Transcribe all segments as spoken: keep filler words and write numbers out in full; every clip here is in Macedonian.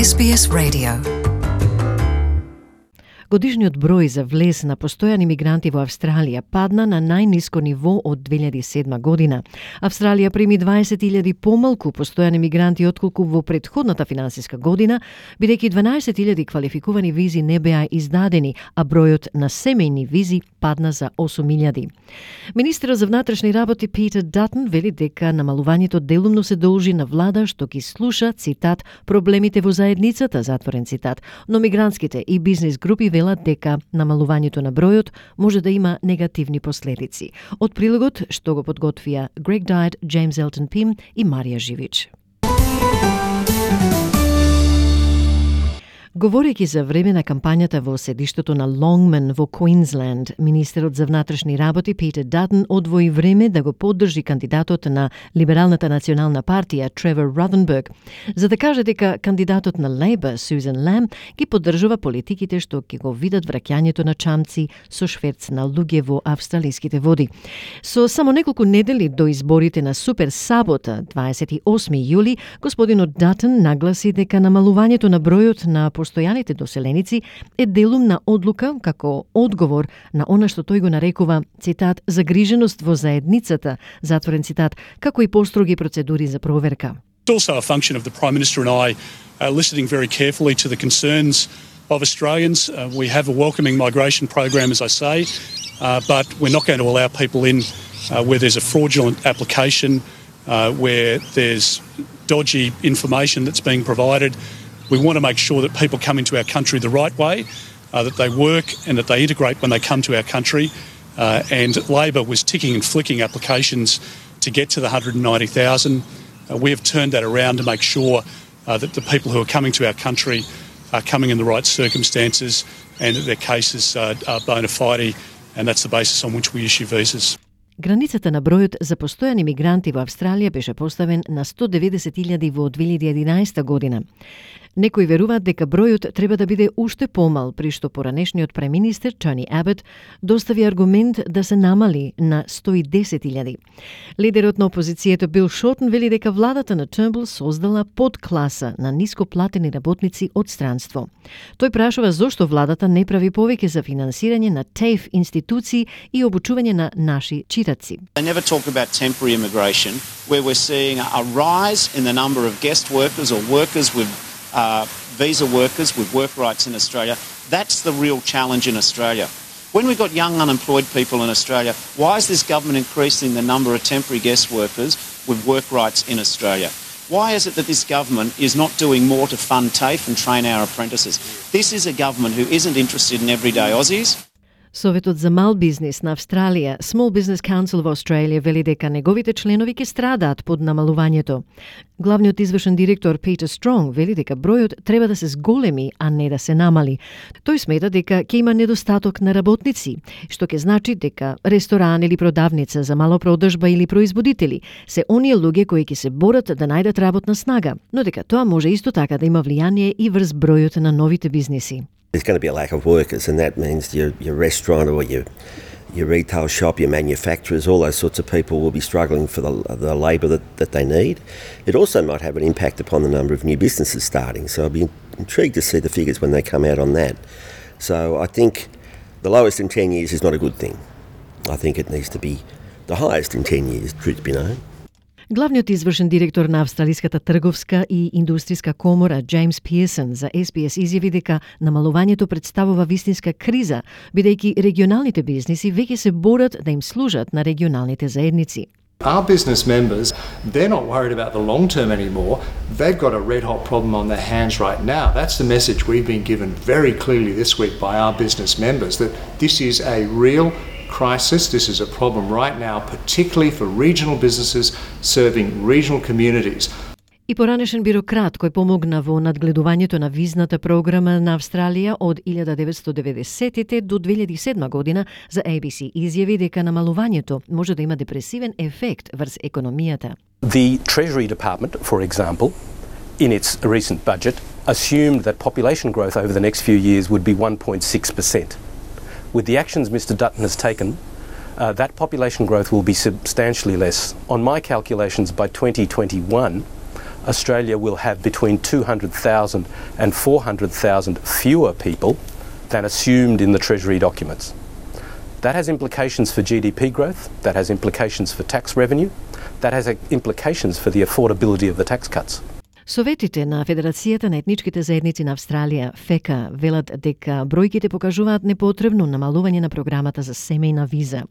Ес Би Ес Radio. Годишниот број за влез на постојани мигранти во Австралија падна на најниско ниво од две илјади и седма година. Австралија прими дваесет илјади помалку постојани мигранти отколку во претходната финансиска година, бидејќи дванаесет илјади квалификувани визи не беа издадени, а бројот на семејни визи падна за осум илјади. Министерот за внатрешни работи Питер Датон вели дека намалувањето делумно се должи на влада што ги слуша, цитат, проблемите во заедницата, затворен цитат, но мигрантските и бизнис групи велат дека намалувањето на бројот може да има негативни последици. Од прилогот што го подготвија Грег Дайт, Джеймс Елтон Пим и Марија Живич. Говорејќи за време на кампањата во седиштето на Лонгман во Квинсленд, министерот за внатрешни работи Питер Датон одвои време да го поддржи кандидатот на Либералната национална партија Тревор Ротhenberg, за да каже дека кандидатот на Лейбор Сюзан Лам ги поддржува политиките што ќе го видат враќањето на чамци со шверц на луѓе во австралиските води. Со само неколку недели до изборите на Супер Сабота, дваесет и осми јули, господинот Датон нагласи дека намалувањето на бројот на постојаните доселеници е делумна одлука како одговор на она што тој го нарекува, цитат, загриженост во заедницата, затворен цитат, како и построги процедури за проверка. It's also a function of the Prime Minister and I uh, listening very carefully to the concerns of Australians. Uh, we have a welcoming migration program, as I say, uh, but we're not going to allow people in uh, where there's a fraudulent application, uh, where there's dodgy information that's being provided. We want to make sure that people come into our country the right way, uh, that they work and that they integrate when they come to our country. Uh, and Labor was ticking and flicking applications to get to the one hundred ninety thousand. Uh, we have turned that around to make sure uh, that the people who are coming to our country are coming in the right circumstances and that their cases uh, are bona fide, and that's the basis on which we issue visas. Границата на бројот за постојани мигранти во Австралија беше поставен на сто деветдесет илјади во две илјади и единаесета година. Некои веруваат дека бројот треба да биде уште помал, при што поранешниот преминистер Тони Абот достави аргумент да се намали на сто и десет илјади. Лидерот на опозицијата Бил Шортон вели дека владата на Тurnbull создала подкласа на нископлатени работници од странство. Тој прашува зошто владата не прави повеќе за финансирање на TAFE институции и обучување на наши читаци. They never talk about temporary immigration, where we're seeing a rise in the number of guest workers or workers with uh, visa workers with work rights in Australia. That's the real challenge in Australia. When we've got young unemployed people in Australia, why is this government increasing the number of temporary guest workers with work rights in Australia? Why is it that this government is not doing more to fund TAFE and train our apprentices? This is a government who isn't interested in everyday Aussies. Советот за мал бизнис на Австралија, Small Business Council во Австралија, вели дека неговите членови ќе страдаат под намалувањето. Главниот извршен директор Питер Стронг вели дека бројот треба да се зголеми, а не да се намали. Тој смета дека ќе има недостаток на работници, што ќе значи дека ресторан или продавница за малопродржба или производители се оние луѓе кои ќе се борат да најдат работна снага, но дека тоа може исто така да има влијание и врз бројот на новите бизниси. There's going to be a lack of workers, and that means your, your restaurant or your your retail shop, your manufacturers, all those sorts of people will be struggling for the, the labour that, that they need. It also might have an impact upon the number of new businesses starting, so I'll be intrigued to see the figures when they come out on that. So I think the lowest in ten years is not a good thing. I think it needs to be the highest in ten years, truth be known. Главниот извршен директор на Австралиската трговска и индустријска комора Джеймс Пиерсон за Ес Би Ес изјави дека намалувањето представува вистинска криза, бидејќи регионалните бизниси веќе се борат да им служат на регионалните заедници. Our business members, they're not worried about the long term anymore. They've got a red hot problem on their hands right now. That's the message we've been given very clearly this week by our business members, that this is a real crisis. This is a problem right now, particularly for regional businesses serving regional communities. И поранешен бирократ кој помогна во надгледувањето на визната програма на Австралија од илјада деветстотини и деветдесетите до две илјади и седма година за Ей Би Си изјави дека намалувањето може да има депресивен ефект врз економијата. The Treasury Department, for example, in its recent budget, assumed that population growth over the next few years would be one point six percent. With the actions Mister Dutton has taken, uh, that population growth will be substantially less. On my calculations, by twenty twenty-one, Australia will have between two hundred thousand and four hundred thousand fewer people than assumed in the Treasury documents. That has implications for G D P growth, that has implications for tax revenue, that has implications for the affordability of the tax cuts. Советите на Федерацијата на етничките заедници на Австралија, ФЕКА, велат дека бројките покажуваат непотребно намалување на програмата за семејна виза.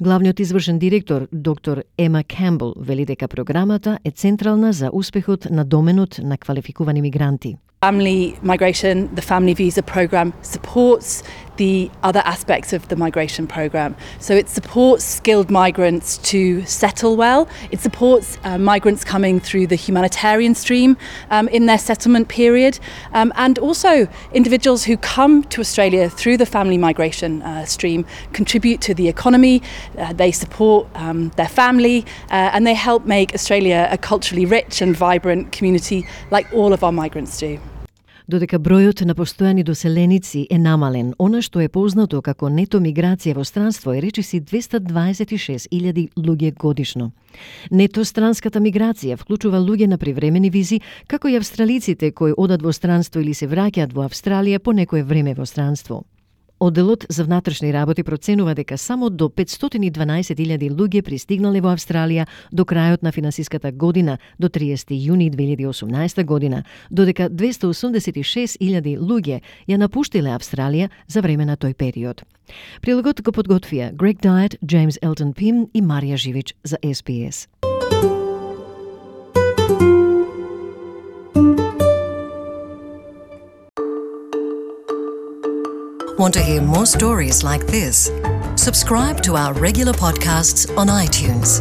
Главниот извршен директор, доктор Ема Кембл, вели дека програмата е централна за успехот на доменот на квалификувани мигранти. Family migration, the family visa program supports the other aspects of the migration program. So it supports skilled migrants to settle well. It supports uh, migrants coming through the humanitarian stream um, in their settlement period. Um, and also individuals who come to Australia through the family migration uh, stream contribute to the economy. Uh, they support um, their family uh, and they help make Australia a culturally rich and vibrant community like all of our migrants do. Додека бројот на постојани доселеници е намален, она што е познато како нето миграција во странство е речиси двеста дваесет и шест илјади луѓе годишно. Нето странската миграција вклучува луѓе на привремени визи, како и австралиците кои одат во странство или се враќаат во Австралија по некое време во странство. Одделот за внатрешни работи проценува дека само до петстотини и дванаесет илјади луѓе пристигнале во Австралија до крајот на финансиската година до триесети јуни две илјади и осумнаесета година, додека двеста осумдесет и шест илјади луѓе ја напуштиле Австралија за време на тој период. Прилогот го подготвија Грег Дайет, Джеймс Елтон Пим и Марија Живич за Ес Би Ес. Want to hear more stories like this? Subscribe to our regular podcasts on iTunes.